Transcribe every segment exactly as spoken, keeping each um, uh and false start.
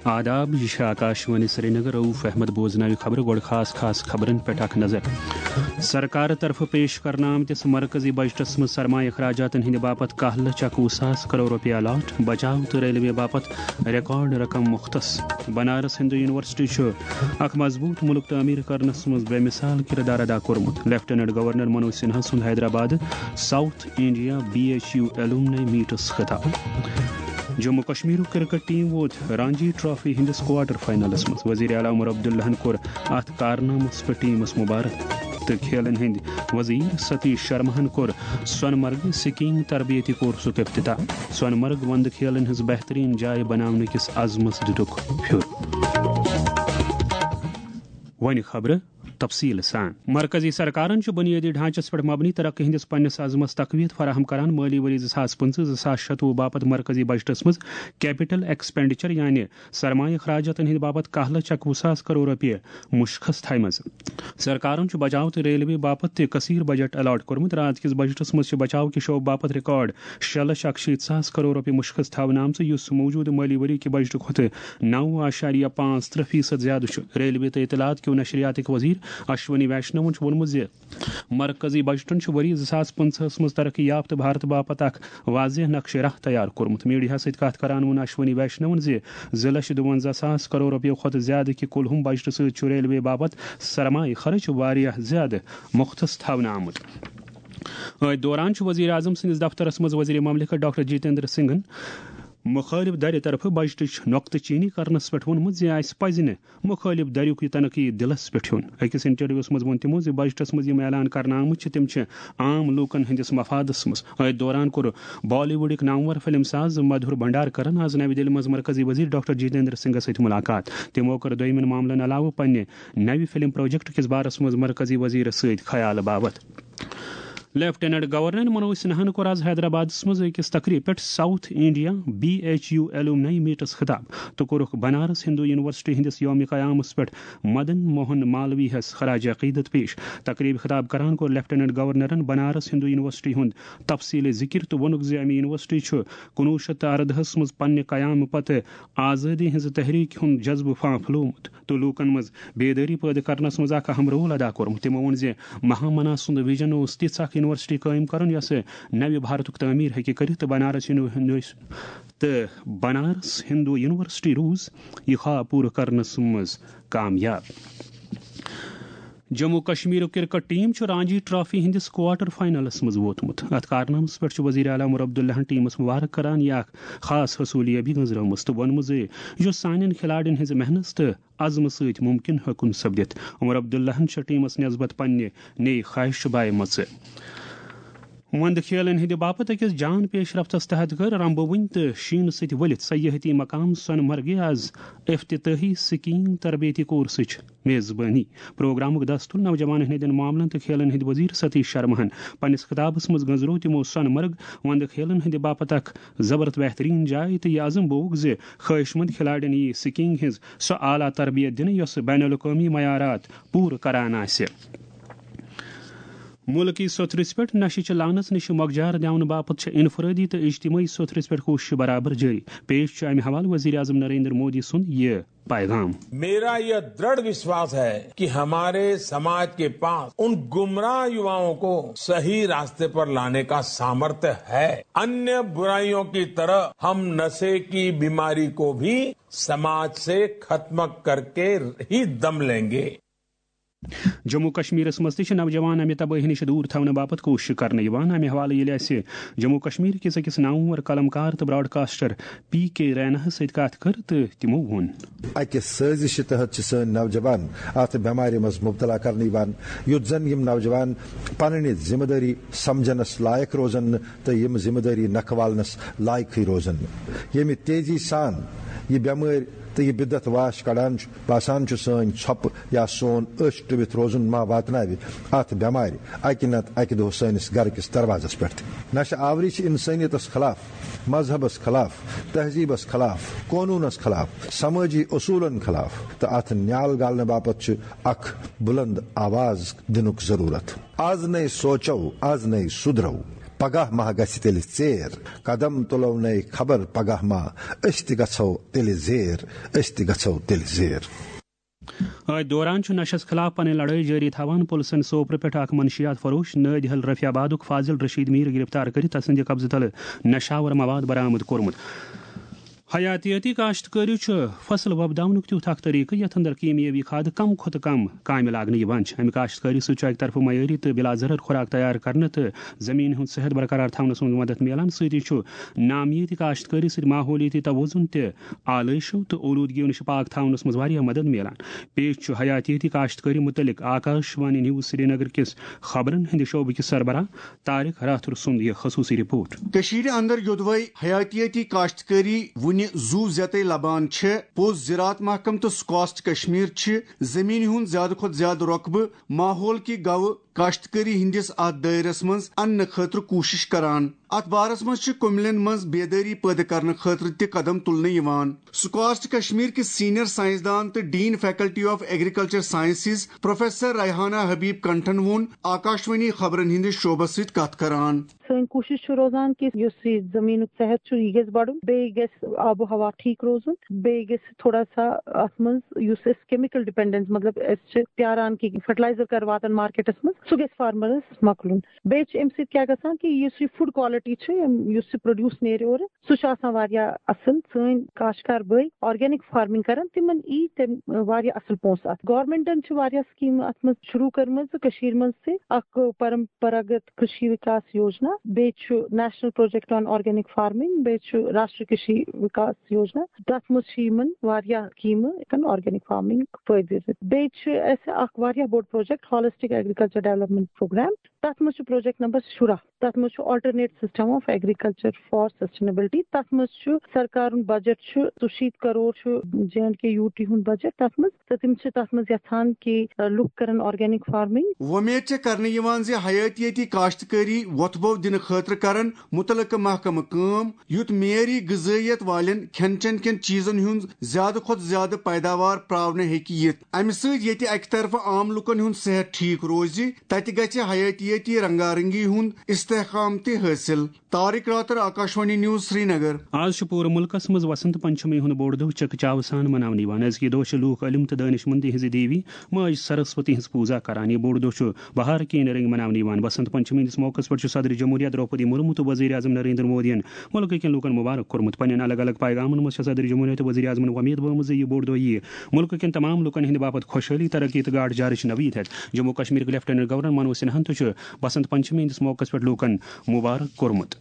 آداب، یہِ چھِ آکاشوانی سرینگر۔ رؤف احمد بوزناوِ خبرٕ۔ گۄڈٕ خاص خاص خبرن پٮ۪ٹھ اکھ نظر۔ سرکار طرفہٕ پیش کرنہٕ آمتِس مرکزی بجٹس منٛز سرمایہ اخراجاتن ہٕنٛدِ باپتھ کاہ لچھ اکوُہ ساس کرور رۄپیہِ الاٹ، بچاو تہٕ ریلوے باپتھ ریکارڈ رقم مختص۔ بنارس ہندو یونیورسٹی چھُ اکھ مضبوط ملک تعمیر کرنس منٛز بے مثال کردار ادا کوٚرمُت۔ لیفٹیننٹ گورنر منوج سنہا سُنٛد Hyderabad South India B H U alumni میٹس خطاب۔ جموں کشمیرُک کرکٹ ٹیم ووت رانجی ٹرافی ہٕنٛدِس کوارٹر فائنلس منٛز۔ وزیر اعلیٰ عمر عبداللہن کوٚر اتھ کارنامس پٮ۪ٹھ ٹیمس مبارک تہٕ کھیلن ہٕنٛدۍ وزیر ستیش شرماہن کوٚر سۄنہٕ مرگہِ سکیئنگ تربیتی کورسُک افتتاح۔ سۄنہٕ مرگ وندٕ کھیلن ہٕنٛز بہترین جاے بناونہٕ کِس عزمس دِتُکھ پھیُر۔ وۄنۍ خبرٕ تفصیل سان۔ مرکزی سرکارن چھُ بنیٲدی ڈھانچس پٮ۪ٹھ مبنی ترقی ہٕنٛدِس پننِس عزمس تقویت فراہم کران۔ مٲلی ؤری زٕ ساس پٕنٛژٕہ زٕ ساس شتوُہ باپتھ مرکزی بجٹس منٛز کیپٹل ایکسپینڈیچر، یعنی سرمایہ اخراجاتن ہٕنٛدِ باپتھ کاہ لچھ اکوُہ ساس کرور رۄپیہِ مُشخص تھایمژ۔ سرکارن چھُ بچاو تہٕ ریلوے باپتھ تہِ کثیر بجٹ الاٹ کوٚرمُت۔ راتھ کِس بجٹس منٛز چھِ بچاو کہِ شعبہٕ باپتھ ریکارڈ شےٚ لچھ اکشیٖتھ ساس کرور رۄپیہِ مُشخص تھاونہٕ آمژٕ، یُس موجودٕ مٲلی ؤری کہِ بجٹہٕ کھۄتہٕ نو اعشاریہ پانٛژھ ترٛےٚ فیصد زیادٕ چھُ۔ ریلوے تہٕ اطلاعات کیو نشریاتٕکۍ وزیر اشونی ویشنون چھُ ووٚنمُت زِ مرکزی بجٹن چھُ ؤری زٕ ساس پٕنٛژٕہس منٛز ترقی یافتہٕ بھارت باپتھ اکھ واضح نقشہٕ راہ تیار کوٚرمُت۔ میڈیاہس سۭتۍ کتھ کران ووٚن اشونی ویشنون زِ زٕ لچھ دُونزہ ساس کرور رۄپیو کھۄتہٕ زیادٕ کہِ کُلہُم بجٹہٕ سۭتۍ چھُ ریلوے باپتھ سرمایہ خرچ واریاہ زیادٕ مختص تھاونہٕ آمُت۔ أتھۍ دوران چھُ وزیر اعظم سٕنٛدِس دفترس منٛز وزیر مملکت ڈاکٹر جتیندر سنگھن مخٲلف دھرِ طرفہٕ بجٹٕچ نۄقطہٕ چینی کرنس پٮ۪ٹھ ووٚنمُت زِ اسہِ پزِ نہٕ مخٲلف دھرُک یہِ تنقید دِلس پٮ۪ٹھ ہیوٚن۔ أکِس انٹرویوس منٛز ووٚن تِمو زِ بجٹس منٛز یِم اعلان کرنہٕ آمٕتۍ چھِ، تِم چھِ عام لوٗکن ہٕنٛدِس مفادس منٛز۔ أتھۍ دوران کوٚر بالی ووڈٕکۍ نامور فلم ساز مدھور بھنڈارکرن آز نوِ دِلہِ منٛز مرکزی وزیر ڈاکٹر جتیندر سنگھس سۭتۍ ملاقات۔ تِمو کٔر دوٚیمٮ۪ن معاملن علاوٕ پننہِ نوِ فلم پروجیکٹ کِس بارس منٛز مرکزی وزیرس سۭتۍ خیال باپتھ۔ لیفٹیننٹ گورنر منوج سنہاہن کوٚر آز حیدرآبادس منٛز أکِس تقریب پٮ۪ٹھ South India B H U alumni میٹس خطاب تہٕ کوٚرُکھ بنارس ہندو یونیورسٹی ہٕنٛدِس یوم قیامس پٮ۪ٹھ مدن موہن مالوی ہس خراج عقیدت پیش۔ تقریب خطاب کران کوٚر لیفٹیننٹ گورنرن بنارس ہندو یونیورسٹی ہُنٛد تفصیلی ذکر تہٕ ووٚنُکھ زِ امہِ یونیورسٹی چھُ کُنوُہ شیٚتھ تہٕ اردہس منٛز پننہِ قیامہٕ پتہٕ آزٲدی ہٕنٛزِ تحریک ہُنٛد جذبہٕ پھانپھلیومُت تہٕ لوٗکن منٛز بیدٲری پٲدٕ کرنس منٛز اکھ اہم رول ادا کوٚرمُت۔ تِمو ووٚن زِ مہامنا سُنٛد ویژن اوس تِژھ اکھ یونیورسٹی قٲیِم کرُن، یۄسہٕ نوِ بھارتُک تعمیٖر ہیٚکہِ کٔرِتھ تہٕ بنارس یونیو-، تہٕ بنارس ہندو یونیورسٹی روٗز یہِ خواب پوٗرٕ کرنس منٛز کامیاب۔ جموں کشمیرُک کرکٹ ٹیم چھُ رانجی ٹرافی ہٕنٛدِس کوارٹر فائنلس منٛز ووتمُت۔ اتھ کارنامس پٮ۪ٹھ چھُ وزیر اعلیٰ عمر عبداللہن ٹیمس مبارک کران یہِ اکھ خاص حصولیابی گٔنزرٲومٕژ تہٕ ووٚنمُت زِ یہِ چھُ سانٮ۪ن کھلاڑٮ۪ن ہٕنٛزِ محنت تہٕ عزمہٕ سۭتۍ ممکن ہیوٚکُن سپدِتھ۔ عمر عبداللہن چھِ ٹیمس نسبت پننہِ نیہِ خواہش چھُپایمژٕ۔ وندٕ کھیلن ہٕنٛدِ باپتھ أکِس جان پیش رفتس تحت کٔر رمبوٕنۍ تہٕ شیٖنہٕ سۭتۍ ؤلِتھ سیاحتی مقام سۄنہٕ مرگہِ آز افتتاحی سکیئنگ تربیتی کورسٕچ میزبٲنی۔ پروگرامُک دستور نوجوانن ہٕنٛدٮ۪ن معاملن تہٕ کھیلن ہٕنٛدۍ وزیر ستیش شرماہن۔ پننِس خطابس منٛز گٔنزرو تِمو سۄنہٕ مرگ وندٕ کھیلن ہٕنٛدِ باپتھ اکھ زبردست بہترین جاے تہٕ یہِ عزم بوگ زِ خواہش مند کھلاڑٮ۪ن یِیہِ سکیئنگ ہٕنٛز سۄ اعلیٰ تربیت دِنہٕ یۄس بین الاقوٲمی معیارات پوٗرٕ کران آسہِ۔ مُلکی سوٚتھرِس پٮ۪ٹھ نشہِ چہِ لعنژ نِش مۄکجار دِیاونہٕ باپتھ چھِ انفرٲدی تہٕ اجتمٲعی سوٚتھرِس پٮ۪ٹھ کوٗشش برابر جٲری۔ پیش چھُ امہِ حوالہٕ وزیر اعظم نریندر مودی سُنٛد یہِ پیغام۔ میرا یہ دڑھ وشواس ہے کہ ہمارے سماج کے پاس ان گمراہ یواؤں کو صحیح راستے پر لانے کا سامرتھ ہے۔ अन्य बुराइयों की तरह हम नशे की बीमारी को भी समाज से खत्म करके ही दम लेंगे। جموں کشمیرس منٛز تہِ چھِ نوجوان امہِ تبٲہی نِش دوٗر تھاونہٕ باپتھ کوٗشش کرنہٕ یِوان۔ امہِ حوالہٕ ییٚلہِ اَسہِ جموں کشمیر کِس أکِس نامور قلمکار تہٕ براڈکاسٹر پی کے ریناہس سۭتۍ کتھ کٔر تہٕ تِمو ووٚن۔ اَکہِ سٲزشہِ تحت چھِ سٲنۍ نوجوان اَتھ بٮ۪مارِ منٛز مُبتلا کرنہٕ یِوان، یُتھ زن یِم نوجوان پنٕنہِ ذمہٕ دٲری سمجھنس لایق روزن نہٕ تہٕ یِم ذمہٕ دٲری نکھٕ والنس لایقٕے روزن نہٕ۔ ییٚمہِ تیزی سان یہِ بٮ۪مٲرۍ تہٕ یہِ بدعت واش کڑان چھُ، باسان چھُ سٲنۍ ژھۄپہٕ یا سون أچھ ٹُوِتھ روزُن ما واتناوِ اَتھ بٮ۪مارِ اَکہِ نتہٕ اَکہِ دۄہ سٲنِس گرٕ کِس دروازس پٮ۪ٹھ تہِ۔ نشہٕ آوری چھِ انسٲنیتس خلاف، مذہبس خلاف، تہذیبس خلاف، قونوٗنس خلاف، سمٲجی اصوٗلن خلاف تہٕ اَتھ نیال گالنہٕ باپتھ چھُ اکھ بُلند آواز دِنُک ضروٗرت۔ از نَے سونٛچو، از نَے سُدھرو۔ پگاہ ما گژھِ تیٚلہِ ژیر؟ قدم تُلو نَے خبر پگاہ ما، أسۍ تہِ گژھو تیٚلہِ زیر، أسۍ تہِ گژھو تیٚلہِ زیر۔ أتھۍ دوران چھُ نشس خلاف پنٕنۍ لڑٲے جٲری تھاوان پُلسن سوپرٕ پٮ۪ٹھ اکھ منشیات فروش نٲدۍ حل رفیع آبادُک فاضل رشید میٖر گرفتار کٔرِتھ تسٕنٛدِ قبضہٕ تلہٕ نشاور مواد برآمد کوٚرمُت۔ حیاتیٲتی کاشتکٲری چھُ فصل وۄپداونُک تیُتھ اکھ طریقہٕ یتھ اندر کیمیٲوی کھادٕ کم کھۄتہٕ کم کامہِ لاگنہٕ یِوان چھِ۔ امہِ کاشتکٲری سۭتۍ چھُ اکہِ طرفہٕ معیٲری تہٕ بلا ضرر خوراک تیار کرنہٕ تہٕ زمینہِ ہُنٛد صحت برقرار تھاونس منٛز مدد میلان، سۭتی چھُ نامیٲتی کاشتکٲری سۭتۍ ماحولیٲتی توازن تہِ آلٲیشو تہٕ اولوٗدگیو نِش پاک تھاونس منٛز واریاہ مدد میلان۔ پیش چھُ حیاتیٲتی کاشتکٲری مُتعلق آکاش وانی نیوز سرینگر کِس خبرن ہٕنٛدِ شعبہٕ کِس سربراہ طارق راتھر سُنٛد یہِ خصوٗصی رپورٹ۔ کٔشیٖرِ اندر یوٚدوَے حیاتیٲتی کاشتکٲری وُنہِ زُو زیتَے لبان چھِ، پوٚز زراعت محکمہٕ تہٕ سکاسٹ کشمیر چھِ زمینہِ ہُنٛد زیادٕ کھۄتہٕ زیادٕ رۄقبہٕ ماحول کہِ گوٚو کاشتکٲری ہٕنٛدِس اتھ دٲیرس منٛز اننہٕ خٲطرٕ کوٗشش کران۔ اتھ بارس منٛز چھِ کُملٮ۪ن منٛز بیدٲری پٲدٕ کرنہٕ خٲطرٕ تہِ قدم تُلنہٕ یِوان۔ سکاسٹ کشمیر کِس سینئر سائنسدان تہٕ dean faculty of agriculture sciences professor Rehana Habib کنٹھن ووٚن آکاشوانی خبرن ہٕنٛدِس شعبس سۭتۍ کتھ کران۔ سٲنۍ کوٗشِش چھِ روزان کہِ یُس یہِ زٔمیٖنُک صحت چھُ، یہِ گژھِ بَڑُن، بیٚیہِ گژھِ آب و ہوا ٹھیٖک روزُن، بیٚیہِ گژھِ تھوڑا سا اَتھ منٛز یُس أسۍ کیمِکل ڈِپینڈنس، مطلب، أسۍ چھِ پیاران کہِ فرٹیلایزر کر واتن مارکیٹس منٛز، سُہ گژھِ فارمرس مۄکلُن۔ بیٚیہِ چھِ اَمہِ سۭتۍ کیٛاہ گژھان کہِ یُس یہِ فوڈ کوالٹی چھِ، یِم، یُس یہِ پروڈیوس نیرِ اورٕ، سُہ چھُ آسان واریاہ اَصٕل۔ سٲنۍ کاشتکار بٲے آرگینک فارمنگ کران، تِمن یی تَمہِ واریاہ اَصٕل پونٛسہٕ اَتھ۔ گورمنٹن چھِ واریاہ سکیٖمہٕ اَتھ منٛز شروٗع کٔرمٕژ کٔشیٖرِ منٛز تہِ، اکھ پرمپراگت کرشی وکاس یوجنا، بیٚیہِ چھُ national project on organic farming, بیٚیہِ چھُ راشٹری کرشی وکاس یوجنا۔ تَتھ منٛز چھِ یِمن واریاہ سکیٖمہٕ ہٮ۪کان آرگینک فارمنگ فٲیدٕ دِتھ۔ بیٚیہِ چھُ اَسہِ اکھ واریاہ بوٚڑ project holistic agriculture development programme, تَتھ منٛز چھُ پروجیکٹ نمبر شُراہ۔ تَتھ منٛز چھُ alternate system of agriculture for sustainability. تَتھ منٛز چھُ سرکارُن بجٹ چھُ ژُشیٖتھ کرور چھُ J and K U T ہُنٛد بجٹ تَتھ منٛز، تہٕ تِم چھِ تَتھ منٛز یژھان کہِ، آ، لُکھ کرن آرگینک فارمنگ۔ وۄمید چھےٚ کرنہٕ یِوان زِ حیاتیٲتی کاشتکٲری وۄتھٕ بو دِنہٕ خٲطرٕ کرن مُتعلقہٕ محکمہٕ کٲم، یُتھ معیٲری غذٲیت والٮ۪ن کھٮ۪ن چٮ۪ن کٮ۪ن چیٖزن ہُنٛد زیادٕ کھۄتہٕ زیادٕ پیداوار پراونہٕ ہیٚکہِ یِتھ۔ اَمہِ سۭتۍ ییٚتہِ اَکہِ طرفہٕ عام لُکن ہُنٛد صحت ٹھیٖک روزِ، تَتہِ گژھِ حیاتیٲتی رنگارنگی ہُنٛد استحکام تہِ حٲصِل۔ طارق راتر، آکاشوانی نیوز، سرینگر۔ آز چھُ پوٗرٕ مُلکَس منٛز وسنت پنچمی ہُنٛد بوٚڑ دۄہ چکہٕ چاوٕ سان مناونہٕ یِوان۔ أزکہِ دۄہ چھِ لوٗکھ علم تہٕ دٲنِش مندی ہٕنٛزِ دیوی ماج سرسوتی ہٕنٛز پوٗزا کران۔ یہِ بوٚڑ دۄہ چھُ بہار کِنۍ رٔنگۍ مناونہٕ یِوان۔ وسنت پنچمی ہٕنٛدِس موقعس پٮ۪ٹھ چھُ صدر جمہوریہ درٛوپدی مرمو تہٕ وزیر اعظم نریندر مودیَن مُلکہٕ کٮ۪ن لوٗکَن مُبارک کوٚرمُت۔ پننٮ۪ن الگ الگ پیغامَن منٛز چھےٚ صدر جمہوریہ تہٕ وزیر اعظمَن وۄمید بٲومٕژ زِ یہِ بوٚڑ دۄہ یِیہِ مُلکہٕ کٮ۪ن تمام لوٗکَن ہٕنٛدِ باپتھ خۄشحٲلی، ترقی تہٕ گاٹھ جارٕچ نوید ہٮ۪تھ۔ جموں کشمیرٕکۍ لیفٹیننٹ گورنر منوج سنہاہَن تہِ چھُ بسنت پنچمی ہٕنٛدِس موقعس پٮ۪ٹھ لوٗکَن مُبارک کوٚرمُت۔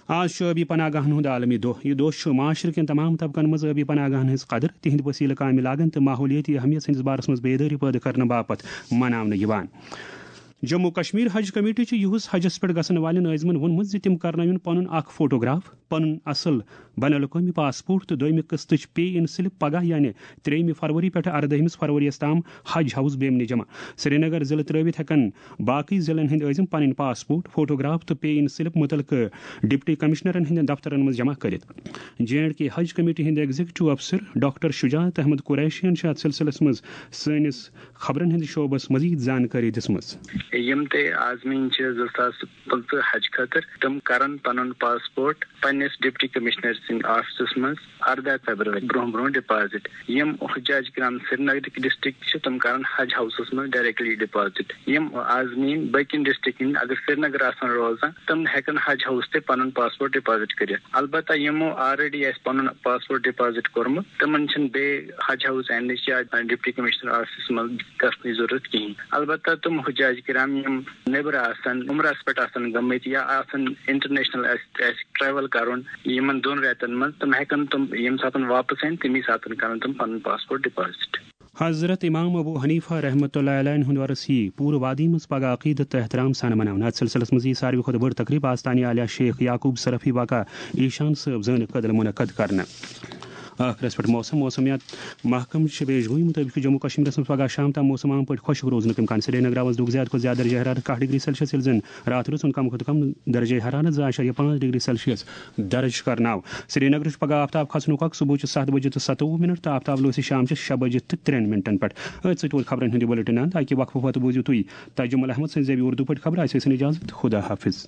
آز چھُ ٲبی پناہ گاہن ہُنٛد عالمی دۄہ۔ یہِ دۄہ چھُ معاشرٕ کٮ۪ن تمام طبقن منٛز ٲبی پناہ گاہن ہٕنٛز قدر، تِہنٛدۍ وسیلہٕ کامہِ لاگن تہٕ ماحولیٲتی اہمیت ہٕنٛدِس بارس منٛز بیدٲری پٲدٕ کرنہٕ باپتھ مناونہٕ یِوان۔ جموں کشمیر حج کمیٹی چھُ یُہُس حجس پٮ۪ٹھ گژھن والٮ۪ن عٲزمن ووٚنمُت زِ تِم کرنٲوِن پنُن اکھ فوٹوگراف، پنُن اصل بین الاقوٲمی پاسپورٹ تہٕ دوٚیمہِ قٕسطٕچ پے ان سلپ پگاہ، یعنی ترٛیٚیِمہِ فروری پٮ۪ٹھٕ اردٲہمِس فروریَس تام حج ہاوُس بیمنہِ جمع۔ سرینگر ضلعہٕ ترٲوِتھ ہٮ۪کن باقٕے ضلعن ہٕنٛدۍ عٲزم پنٕنۍ پاسپورٹ، فوٹوگراف تہٕ پے ان سلپ مُتعلقہٕ ڈپٹی کمشنرن ہٕنٛدٮ۪ن دفترن منٛز جمع کٔرِتھ۔ جے اینڈ کے حج کمیٹی ہٕنٛدۍ ایگزیکٹو افسر ڈاکٹر شجاعت احمد قریشیَن چھِ اتھ سلسلس منٛز سٲنِس خبرن ہٕنٛدِس شعبس مزید زانکٲری دِژمٕژ۔ یِم تہِ عازمیٖن چھِ زٕ ساس پٕنٛژٕہ حج خٲطرٕ، تِم کرن پنُن پاسپورٹ پننِس ڈپٹی کمشنر سٕنٛدِ آفسس منٛز ارداہ فیبرؤری برونٛہہ برونٛہہ ڈپازٹ۔ یِم حجاج کرام سرینگرٕکۍ ڈسٹرکٹ چھِ، تِم کرن حج ہاوسس منٛز ڈائریکٹلی ڈپازٹ۔ یِم عازمیٖن باقین ڈسٹرکٹن ہٕنٛدۍ اگر سرینگر آسن روزان، تِم ہٮ۪کن حج ہاوس تہِ پنُن پاسپورٹ ڈپازٹ کٔرِتھ۔ البتہ یِمو آلریڈی آسہِ پنُن پاسپورٹ ڈپازٹ کوٚرمُت، تِمن چھِنہٕ بیٚیہِ حج ہاوس اننٕچ یا ڈپٹی کمشنر آفسس منٛز گژھنٕچ ضروٗرت کِہیٖنۍ۔ البتہ تِم حجاج کرام یِم نیٚبرٕ آسن، عمرس پٮ۪ٹھ آسن گٔمٕتۍ یا آسن انٹرنیشنل آسہِ، آسہِ ٹریول کرُن یِمن دۄن رٮ۪تن منٛز، تِم ہٮ۪کن تِم ییٚمہِ ساتن واپس یِن، تمی ساتن کرن تِم پنُن پاسپورٹ ڈپازٹ۔ حضرت امام ابو حنیفہ رحمۃ اللہ علیہ ہُنٛد عرس یی پوٗرٕ وادی منٛز پگاہ عقیدت تہٕ احترام سان مناونہٕ۔ اتھ سلسلس منٛز یی ساروی کھۄتہٕ بٔڑ تقریب آستانہِ عالیہ شیخ یعقوب صرفی واقع ایشان صٲب زٲنہِ کدل منعقد کرنہٕ۔ ٲخرس پٮ۪ٹھ موسم۔ موسمیات محکمہٕ چھِ پیش گویی مُطٲبِق چھُ جموں کشمیرس منٛز پگاہ شام تام موسم عام پٲٹھۍ خۄشک روزنُک امکان۔ سرینگر آز دِیُت زیادٕ کھۄتہٕ زیادٕ درجہ حرارت کاہ ڈگری سیلسیس، ییٚلہِ زن راتھ روزُن کم کھۄتہٕ کم درجہ حرارت زٕ اعشاریہ پانٛژھ ڈگری سیلسیس درج کرناو۔ سرینگرٕ چھُ پگاہ آفتاب کھسنُک وقت صبحٕچہِ ستھ بجہِ تہٕ ستووُہ منٹ تہٕ آفتاب لوسہِ شامچہِ شےٚ بجہِ تہٕ ترٛٮ۪ن منٹن پٮ۪ٹھ۔ أتھۍ سۭتۍ ووت خبرن ہُنٛد یہِ بُلٹن اند۔ اکہِ وقفہٕ پتہٕ بوٗزِو تُہۍ تجمل احمد سٕنٛز زیوِ اردو پٲٹھۍ خبرٕ۔ اَسہِ ٲسِن اجازت۔ خدا حافظ۔